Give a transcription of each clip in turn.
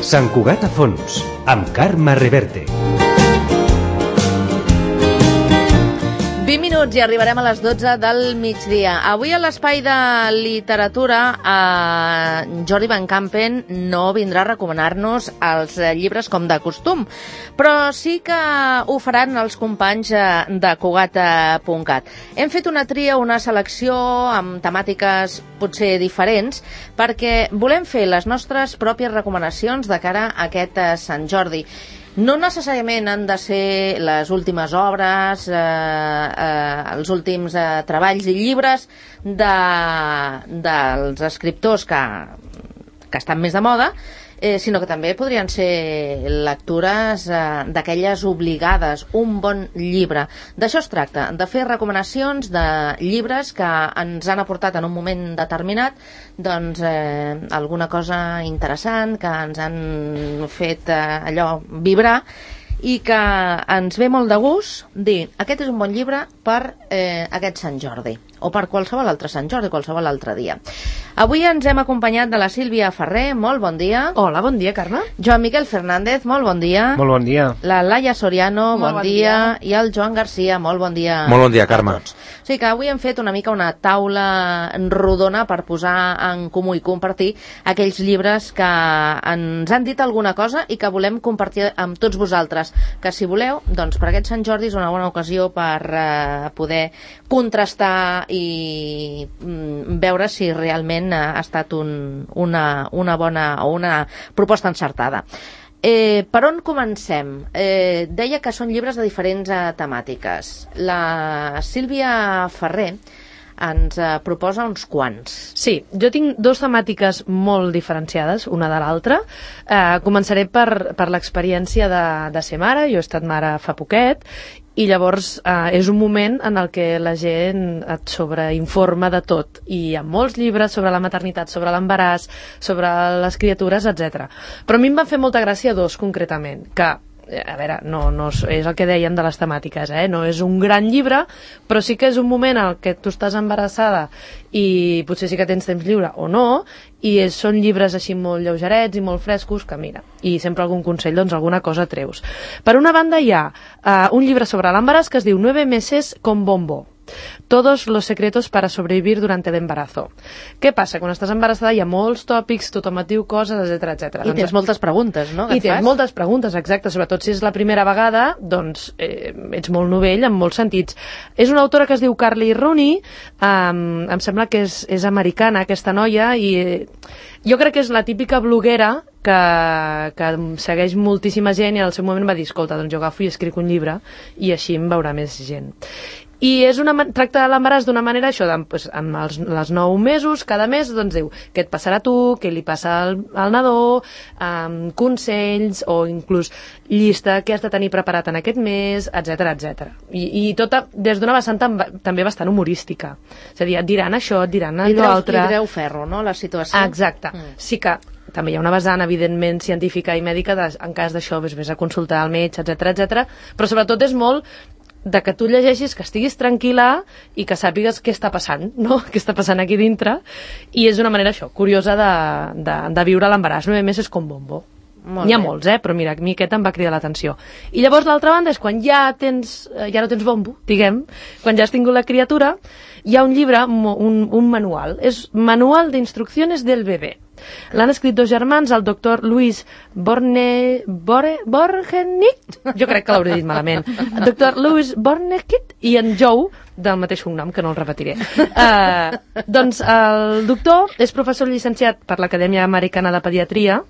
Sant Cugat a fons, amb Carme Reverte. 20 minuts i arribarem a les 12 del migdia. Avui a l'espai de literatura Jordi Van Campen no vindrà a recomanar-nos els llibres com de costum, però sí que ho faran els companys de Cugat.cat. Hem fet una tria, una selecció amb temàtiques potser diferents, perquè volem fer les nostres pròpies recomanacions de cara a aquest Sant Jordi. No necessàriament han de ser les últimes obres, els últims treballs i llibres dels escriptors que estan més de moda, sinó que també podrien ser lectures d'aquelles obligades, un bon llibre. D'això es tracta, de fer recomanacions de llibres que ens han aportat en un moment determinat doncs alguna cosa interessant, que ens han fet allò vibrar i que ens ve molt de gust dir aquest és un bon llibre per aquest Sant Jordi o per qualsevol altre Sant Jordi, qualsevol altre dia. Avui ens hem acompanyat de la Sílvia Ferrer, molt bon dia. Hola, bon dia, Carme. Joan Miquel Fernández, molt bon dia. Molt bon dia. La Laia Soriano, bon dia. I el Joan Garcia, molt bon dia. Molt bon dia, Carme. O sigui que avui hem fet una mica una taula rodona per posar en comú i compartir aquells llibres que ens han dit alguna cosa i que volem compartir amb tots vosaltres. Que si voleu, doncs per aquest Sant Jordi és una bona ocasió per poder contrastar i veure si realment ha estat una bona o una proposta encertada. Per on comencem? Deia que són llibres de diferents temàtiques. La Sílvia Ferrer ens proposa uns quants. Sí, jo tinc dues temàtiques molt diferenciades, una de l'altra. Començaré per l'experiència de ser mare. Jo he estat mare fa poquet i llavors és un moment en el que la gent et sobreinforma de tot. I hi ha molts llibres sobre la maternitat, sobre l'embaràs, sobre les criatures, etc. Però a mi em van fer molta gràcia dos concretament, que a veure, no és el que dèiem de les temàtiques, no és un gran llibre, però sí que és un moment en què tu estàs embarassada i potser sí que tens temps lliure o no, i són llibres així molt lleugerets i molt frescos que mira, i sempre algun consell, doncs alguna cosa treus. Per una banda hi ha un llibre sobre l'embaràs que es diu 9 meses con bombo. Todos los secretos para sobrevivir durante el embarazo. Què passa? Quan estàs embarassada hi ha molts tòpics, tothom et diu coses, etc. I tens moltes preguntes, no? I tens moltes preguntes, exacte. Sobretot si és la primera vegada, doncs ets molt novell en molts sentits. És una autora que es diu Carly Rooney, em sembla que és americana, aquesta noia, i jo crec que és la típica bloguera que segueix moltíssima gent i al seu moment va dir, escolta, doncs jo agafo i escric un llibre i així em veurà més gent. I tracta l'embaràs d'una manera això, doncs, amb els 9 mesos, cada mes doncs diu què et passarà a tu, què li passa al nadó, consells o inclús llista què has de tenir preparat en aquest mes, etc. I tota des d'una vessant també bastant humorística. És a dir, et diran això, et diran allò altre. Li treu ferro, no?, la situació. Exacte. Sí que també hi ha una vessant, evidentment, científica i mèdica, en cas d'això vés a consultar al metge, etc. Però sobretot és molt de que tu llegeixis, que estiguis tranquil·la i que sàpigues què està passant, no? Què està passant aquí dintre, i és una manera això, curiosa de viure l'embaràs. 9 mesos com bombo. N'hi ha molts, però mira, a mi aquest em va cridar l'atenció. I llavors l'altra banda és quan ja no tens bombo, diguem, quan ja has tingut la criatura, hi ha un llibre, un manual, és Manual d'instrucciones del bebè. L'han escrit dos germans, el doctor Luis Borgenich, jo crec que l'hauré dit malament, el doctor Luis Borgenich i en Joe, del mateix cognom, que no el repetiré. Doncs el doctor és professor llicenciat per l'Acadèmia Americana de Pediatria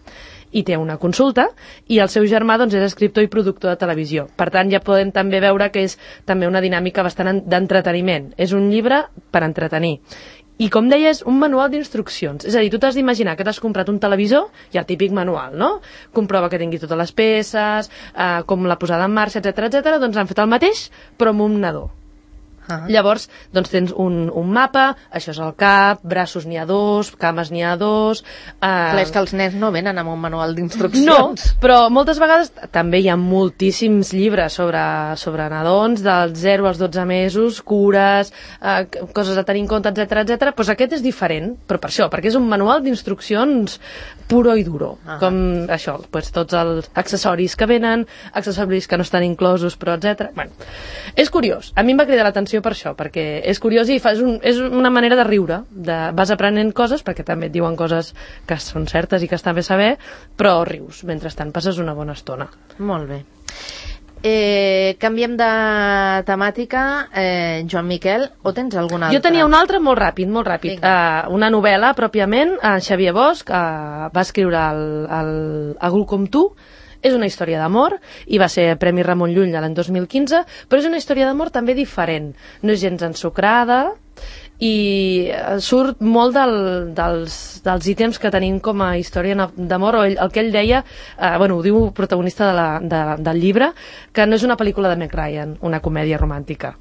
i té una consulta, i el seu germà doncs, és escriptor i productor de televisió. Per tant, ja podem també veure que és també una dinàmica bastant d'entreteniment. És un llibre per entretenir. I com deies, un manual d'instruccions. És a dir, tu t'has d'imaginar que t'has comprat un televisor i el típic manual, no? Comprova que tingui totes les peces, com la posada en marxa, etc. Doncs han fet el mateix, però amb un nadó. Llavors, doncs tens un mapa, això és el cap, braços n'hi ha 2, cames n'hi ha 2... Clar, és que els nens no venen amb un manual d'instruccions. No, però moltes vegades també hi ha moltíssims llibres sobre nadons, dels 0 als 12 mesos, cures, coses a tenir en compte, etc. Doncs aquest és diferent, però per això, perquè és un manual d'instruccions puro i duro. Com això, doncs tots els accessoris que venen, accessoris que no estan inclosos, però etc. Bueno, és curiós. A mi em va cridar l'atenció per això, perquè és curiós i és una manera de riure, vas aprenent coses, perquè també et diuen coses que són certes i que està bé saber, però rius, mentrestant passes una bona estona. Molt bé. Canviem de temàtica, Joan Miquel, o tens alguna altra? Jo tenia una altra molt ràpid. Una novel·la, pròpiament, Xavier Bosch va escriure Algú com tu. És una història d'amor i va ser Premi Ramon Llull l'any 2015, però és una història d'amor també diferent. No és gens ensucrada i surt molt dels ítems que tenim com a història d'amor, o el que ell deia, ho diu el protagonista del llibre, que no és una pel·lícula de Meg Ryan, una comèdia romàntica.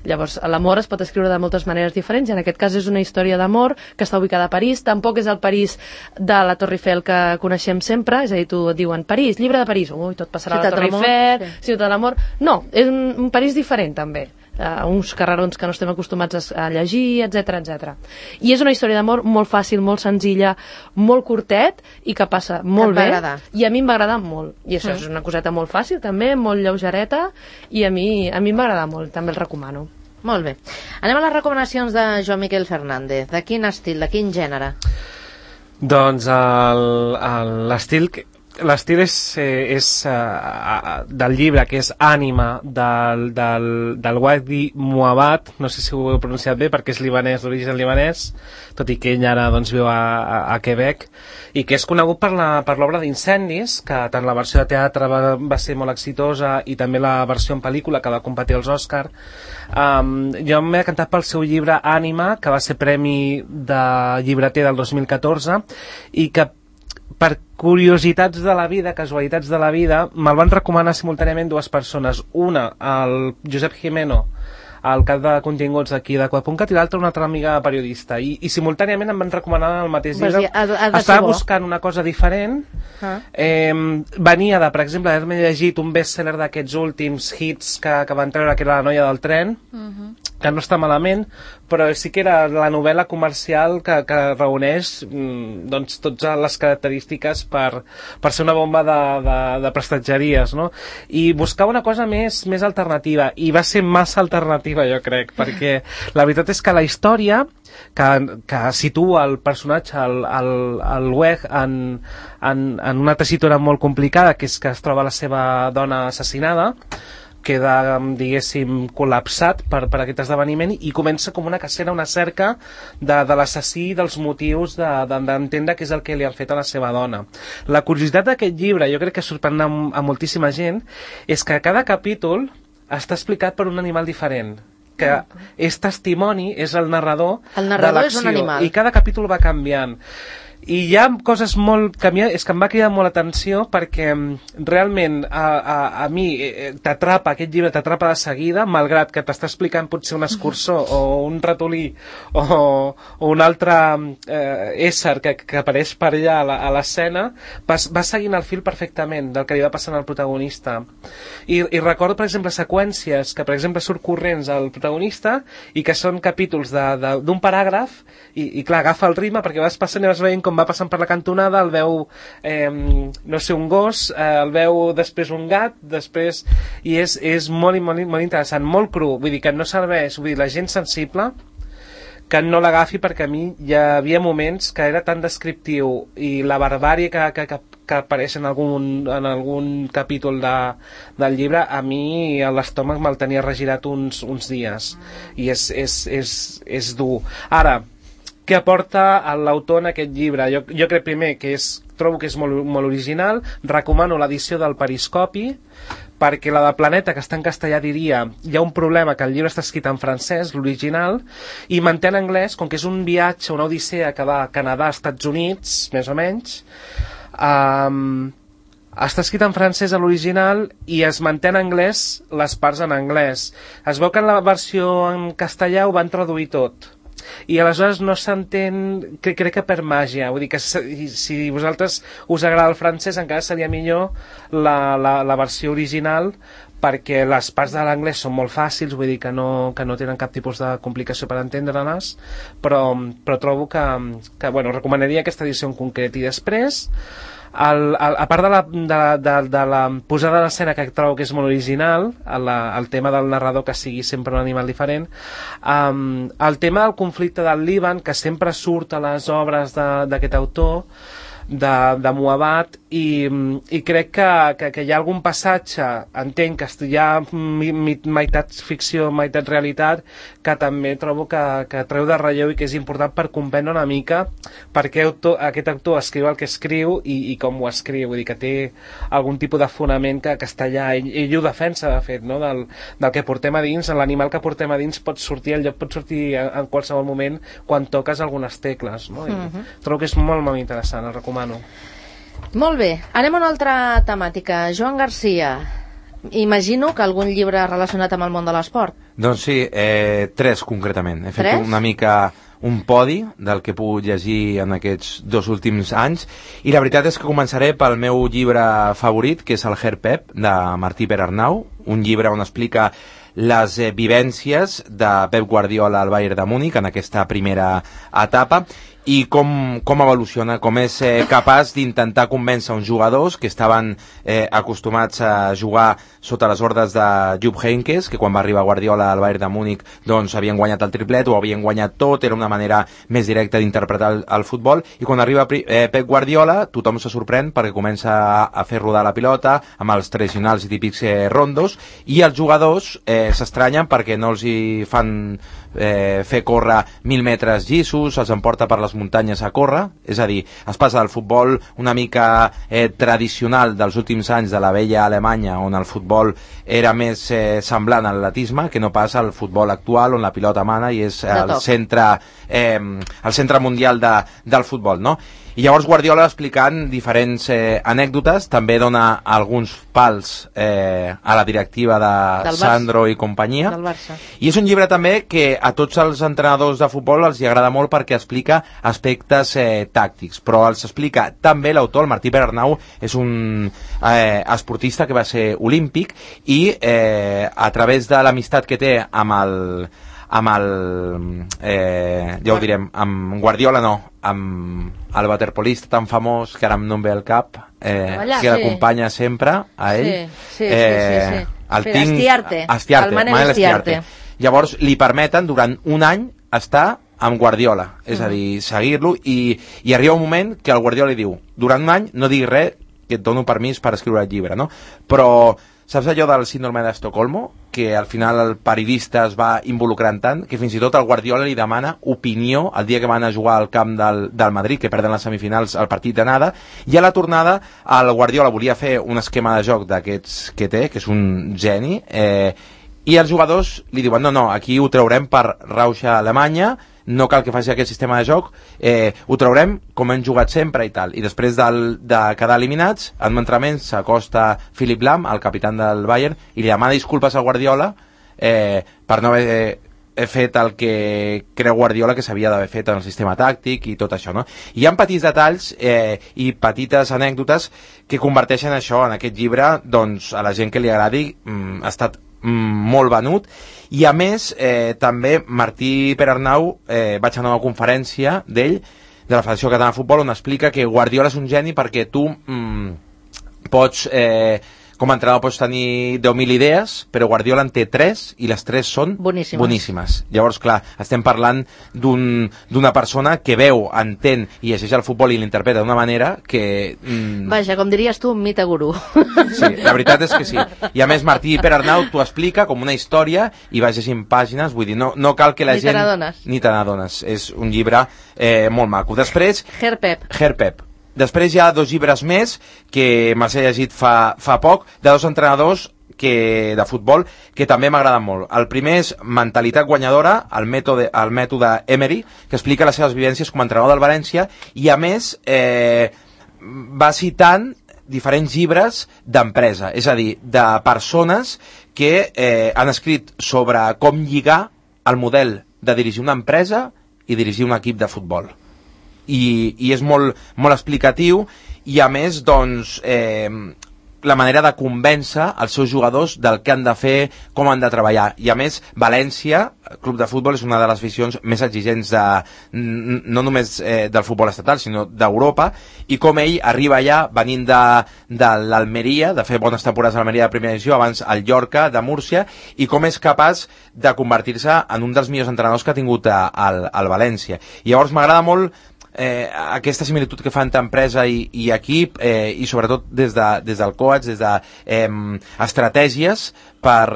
Llavors, l'amor es pot escriure de moltes maneres diferents, i en aquest cas és una història d'amor que està ubicada a París. Tampoc és el París de la Torre Eiffel que coneixem sempre, és a dir, tu et diuen París, llibre de París, tot passarà a la Torre Eiffel, Ciutat de l'Amor. No, és un París diferent també, uns carrerons que no estem acostumats a llegir, etc. I és una història d'amor molt fàcil, molt senzilla, molt curtet i que passa molt bé, i a mi em va agradar molt, i això és una coseta molt fàcil també, molt lleugereta, i a mi em va agradar molt, també el recomano. Molt bé. Anem a les recomanacions de Joan Miquel Fernández. De quin estil, de quin gènere? Doncs l'estil és del llibre, que és Ànima, del Wadi Mouawad, no sé si ho he pronunciat bé perquè és libanès, d'origen libanès, tot i que ell ara doncs, viu a Quebec, i que és conegut per l'obra d'Incendis, que tant la versió de teatre va ser molt exitosa i també la versió en pel·lícula que va competir als Òscar. Jo m'he decantat pel seu llibre Ànima, que va ser premi de llibreter del 2014, i que per curiositats de la vida, casualitats de la vida, me'l van recomanar simultàniament dues persones. Una, el Josep Jimeno, el cap de continguts d'aquí d'Aqua.cat, i l'altra una altra amiga periodista, i simultàniament em van recomanar el mateix llibre. Estava buscant una cosa diferent. Venia de, per exemple, haver-me llegit un best-seller d'aquests últims hits que van treure, que era La noia del tren, que no està malament, però sí que era la novel·la comercial que reuneix doncs, totes les característiques per ser una bomba de prestatgeries, no? I buscar una cosa més alternativa, i va ser massa alternativa, jo crec, perquè la veritat és que la història que situa el personatge, el Weg, en una tessitura molt complicada, que és que es troba la seva dona assassinada, queda, diguéssim, col·lapsat per aquest esdeveniment, i comença com una cacera, una cerca de l'assassí, dels motius d'entendre què és el que li han fet a la seva dona. La curiositat d'aquest llibre, jo crec que sorprèn a moltíssima gent, és que cada capítol està explicat per un animal diferent, que és testimoni, és el narrador de l'acció. El narrador és un animal. I cada capítol va canviant. I hi ha coses molt que és que em va cridar molt l'atenció, perquè realment a mi t'atrapa, aquest llibre t'atrapa de seguida, malgrat que t'està explicant potser un escurçó o un ratolí o un altre ésser que apareix per allà a l'escena, va seguint el fil perfectament del que li va passant al protagonista. I recordo, per exemple, seqüències que, per exemple, surt corrents al protagonista i que són capítols d'un paràgraf, i clar, agafa el ritme perquè vas passant i vas veient com va passant per la cantonada, el veu no sé, un gos, el veu després un gat, després, i és molt interessant, molt cru, vull dir que no serveix, vull dir, la gent sensible que no l'agafi, perquè a mi hi havia moments que era tan descriptiu i la barbàrie que apareix en algun capítol del llibre, a mi l'estómac me'l tenia regirat uns dies, i és dur. Ara, què aporta l'autor en aquest llibre? Jo crec primer que trobo que és molt original, recomano l'edició del Periscopi, perquè la de Planeta, que està en castellà, diria, hi ha un problema que el llibre està escrit en francès, l'original, i manté en anglès, com que és un viatge, una odissea que va a Canadà, Estats Units, més o menys, està escrit en francès a l'original i es manté en anglès les parts en anglès. Es veu que en la versió en castellà ho van traduir tot i aleshores no s'entén, crec que per màgia, vull dir que si vosaltres us agrada el francès encara seria millor la versió original, perquè les parts de l'anglès són molt fàcils, vull dir que no tenen cap tipus de complicació per entendre-les, però trobo que bueno, recomanaria aquesta edició en concret. I després, a part de la posada d'escena, que trobo que és molt original, el tema del narrador que sigui sempre un animal diferent, el tema del conflicte del Líban, que sempre surt a les obres d'aquest autor, de Muabat, i crec que hi ha algun passatge, entenc que hi ha meitat ficció, meitat realitat, que també trobo que treu de relleu i que és important per comprendre una mica per què aquest autor escriu el que escriu i com ho escriu, vull dir que té algun tipus de fonament que està allà, ell ho defensa, de fet, no? del que portem a dins, l'animal que portem a dins pot sortir, el lloc pot sortir en qualsevol moment quan toques algunes tecles, no? Trobo que és molt, molt interessant, el recomano. Molt bé, anem a una altra temàtica. Joan Garcia, imagino que algun llibre relacionat amb el món de l'esport. Doncs sí, 3 concretament. He fet una mica un podi del que he pogut llegir en aquests 2 últims anys, i la veritat és que començaré pel meu llibre favorit, que és el Herr Pep, de Martí Perarnau, un llibre on explica les vivències de Pep Guardiola al Bayern de Múnich en aquesta primera etapa, i com evoluciona, com és capaç d'intentar convèncer uns jugadors que estaven acostumats a jugar sota les ordres de Jupp Heynckes, que quan va arribar Guardiola al Bayern de Múnich doncs havien guanyat el triplet, o havien guanyat tot, era una manera més directa d'interpretar el futbol, i quan arriba Pep Guardiola tothom se sorprèn perquè comença a fer rodar la pilota amb els tradicionals i típics rondos, i els jugadors s'estranyen perquè no els hi fan fer córrer 1.000 metres llissos, els emporta per les muntanyes a córrer, és a dir, es passa del futbol una mica tradicional dels últims anys de la vella Alemanya, on el futbol era més semblant a l'atletisme, que no passa al futbol actual, on la pilota mana i és el centre mundial del futbol, no? I llavors Guardiola, explicant diferents anècdotes, també dona alguns pals a la directiva de Sandro i companyia. I és un llibre també que a tots els entrenadors de futbol els agrada molt perquè explica aspectes tàctics, però els explica també l'autor, el Martí Perarnau, és un esportista que va ser olímpic, i a través de l'amistat que té amb ja ho direm, amb Guardiola no, amb el waterpolista tan famós que ara no em ve al cap, que l'acompanya sempre a ell, el Manel Estiarte. Llavors li permeten durant un any estar amb Guardiola, és a dir, seguir-lo, i arriba un moment que el Guardiola li diu, durant un any no diguis res, que et dono permís per escriure el llibre, no? Però saps allò del síndrome d'Estocolmo? Que al final el periodista es va involucrant tant que fins i tot el Guardiola li demana opinió el dia que van a jugar al camp del Madrid, que perden les semifinals al partit d'anada, i a la tornada el Guardiola volia fer un esquema de joc d'aquests que té, que és un geni, i els jugadors li diuen no, aquí ho traurem per rauxa Alemanya, no cal que faci aquest sistema de joc, ho traurem com hem jugat sempre i tal. I després de quedar eliminats, en l'entrenament s'acosta Philipp Lahm, el capità del Bayern, i li demana disculpes a Guardiola per no haver fet el que creu Guardiola que s'havia d'haver fet en el sistema tàctic i tot això, no? I hi ha petits detalls i petites anècdotes que converteixen això en aquest llibre, doncs a la gent que li agradi ha estat molt venut. I a més també Martí Perarnau, vaig anar a una conferència d'ell, de la Federació Catalana de Futbol, on explica que Guardiola és un geni perquè tu pots com a entrenador pots tenir 10.000 idees, però Guardiola en té 3 i les 3 són boníssimes. Llavors, clar, estem parlant d'una persona que veu, entén i llegeix el futbol i l'interpreta d'una manera que... Vaja, com diries tu, un mite gurú. Sí, la veritat és que sí. I a més, Martí Perarnau t'ho explica com una història i vas llegint pàgines, vull dir, no cal que la gent... Ni te n'adones. És un llibre molt maco. Després... Herr Pep. Després hi ha 2 llibres més que me'ls he llegit fa poc, de 2 entrenadors de futbol que també m'agraden molt. El primer és Mentalitat guanyadora, el mètode Emery, que explica les seves vivències com a entrenador del València, i a més va citant diferents llibres d'empresa, és a dir, de persones que han escrit sobre com lligar el model de dirigir una empresa i dirigir un equip de futbol. I és molt, molt explicatiu i a més, doncs, la manera de convèncer els seus jugadors del que han de fer, com han de treballar. I a més, València, club de futbol, és una de les visions més exigents no només del futbol estatal, sinó d'Europa, i com ell arriba allà venint de l'Almeria, de fer bones temporades a l'Almeria de primera divisió, abans al Llorca de Múrcia, i com és capaç de convertir-se en un dels millors entrenadors que ha tingut al València. I llavors m'agrada molt aquesta similitud que fa entre empresa i equip, i sobretot des del coach, des d'estratègies per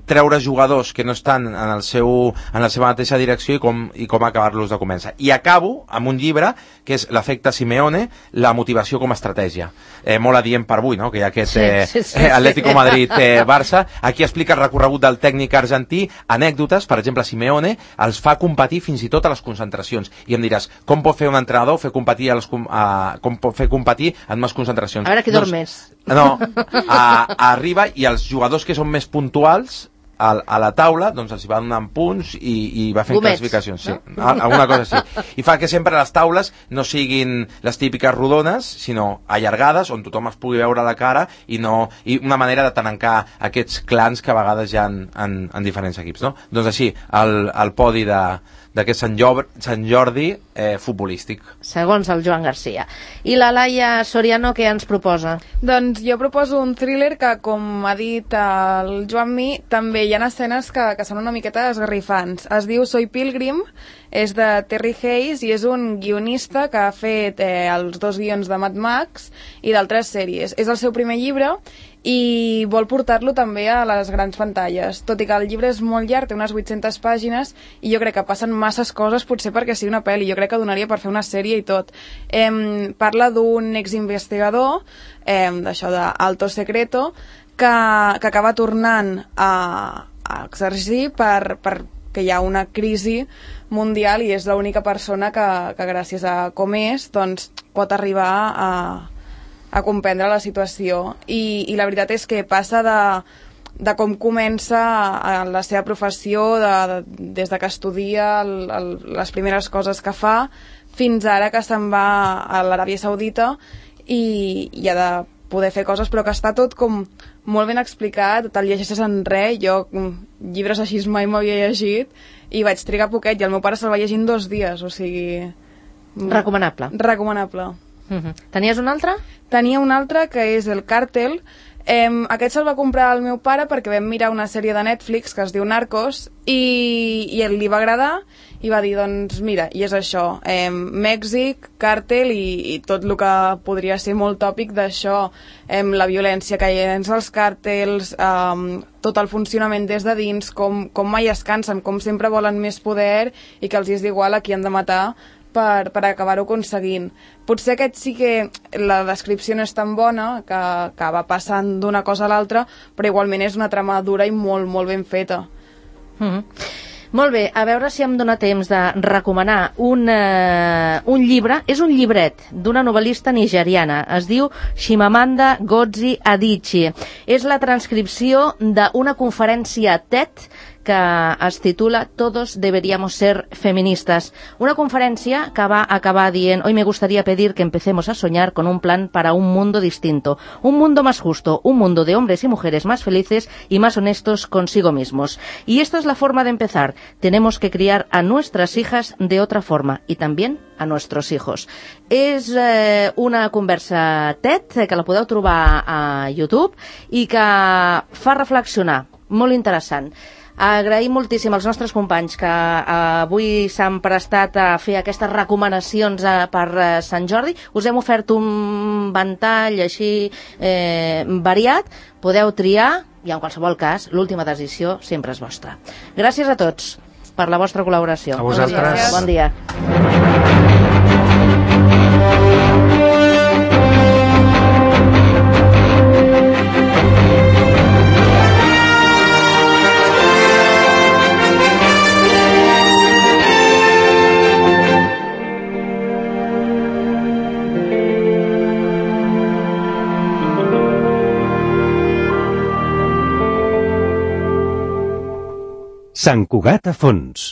treure jugadors que no estan en la seva mateixa direcció i com acabar-los de convèncer. I acabo amb un llibre que és l'efecte Simeone, la motivació com a estratègia. Molt adient per avui, no? Que hi ha aquest Atlético Madrid-Barça. Aquí explica el recorregut del tècnic argentí, anècdotes, per exemple, Simeone els fa competir fins i tot a les concentracions. I em diràs, com pot fer un entrenador com pot fer competir en més concentracions? A veure qui dorm més. No, arriba i els jugadors que són més puntuals a la taula, doncs els hi va donant punts i va fent classificacions. Sí, no? Alguna cosa així. I fa que sempre les taules no siguin les típiques rodones, sinó allargades, on tothom es pugui veure la cara i una manera de tancar aquests clans que a vegades hi ha en diferents equips, no? Doncs així, el podi d'aquest Sant Jordi futbolístic. Segons el Joan Garcia. I la Laia Soriano, què ens proposa? Doncs jo proposo un thriller que, com ha dit el Joan Mi, també hi ha escenes que són una miqueta esgarrifants. Es diu Soy Pilgrim, és de Terry Hayes i és un guionista que ha fet els 2 guions de Mad Max i d'altres sèries. És el seu primer llibre i vol portar-lo també a les grans pantalles, tot i que el llibre és molt llarg, té unes 800 pàgines i jo crec que passen masses coses potser perquè sigui una pel·li, jo crec que donaria per fer una sèrie i tot. Parla d'un exinvestigador d'això d'Alto Secreto que acaba tornant a exercir perquè hi ha una crisi mundial i és l'única persona que gràcies a com és doncs, pot arribar a comprendre la situació i la veritat és que passa de com comença la seva professió, des de que estudia les primeres coses que fa fins ara que se'n va a l'Aràbia Saudita i ha de poder fer coses, però que està tot com molt ben explicat, te'l llegeixes en res. Jo llibres així mai m'havia llegit i vaig trigar poquet i el meu pare se'l va llegir en 2 dies, o sigui... Recomanable. Recomanable. Tenies un altre? Tenia un altre que és El Càrtel. Aquest se'l va comprar el meu pare perquè vam mirar una sèrie de Netflix que es diu Narcos i li va agradar i va dir, doncs mira, i és això, Mèxic, càrtel i tot el que podria ser molt tòpic d'això, la violència que hi ha dins els càrtels, tot el funcionament des de dins, com mai es cansen, com sempre volen més poder i que els és igual a qui han de matar per acabar-ho aconseguint. Potser aquest sí que la descripció no és tan bona, que va passant d'una cosa a l'altra, però igualment és una trama dura i molt, molt ben feta. Molt bé, a veure si em dóna temps de recomanar un llibre. És un llibret d'una novel·lista nigeriana. Es diu Chimamanda Ngozi Adichie. És la transcripció d'una conferència TED que es titula Todos deberíamos ser feministas. Una conferencia que va a acabar dient: hoy me gustaría pedir que empecemos a soñar con un plan para un mundo distinto, un mundo más justo, un mundo de hombres y mujeres más felices y más honestos consigo mismos. Y esta es la forma de empezar. Tenemos que criar a nuestras hijas de otra forma y también a nuestros hijos. És una conversa TED que la podeu trobar a YouTube i que fa reflexionar. Molt interessant. Agraïm moltíssim als nostres companys que avui s'han prestat a fer aquestes recomanacions per Sant Jordi. Us hem ofert un ventall així variat. Podeu triar i en qualsevol cas l'última decisió sempre és vostra. Gràcies a tots per la vostra col·laboració. A vosaltres. Bon dia. Sant Cugat a fons.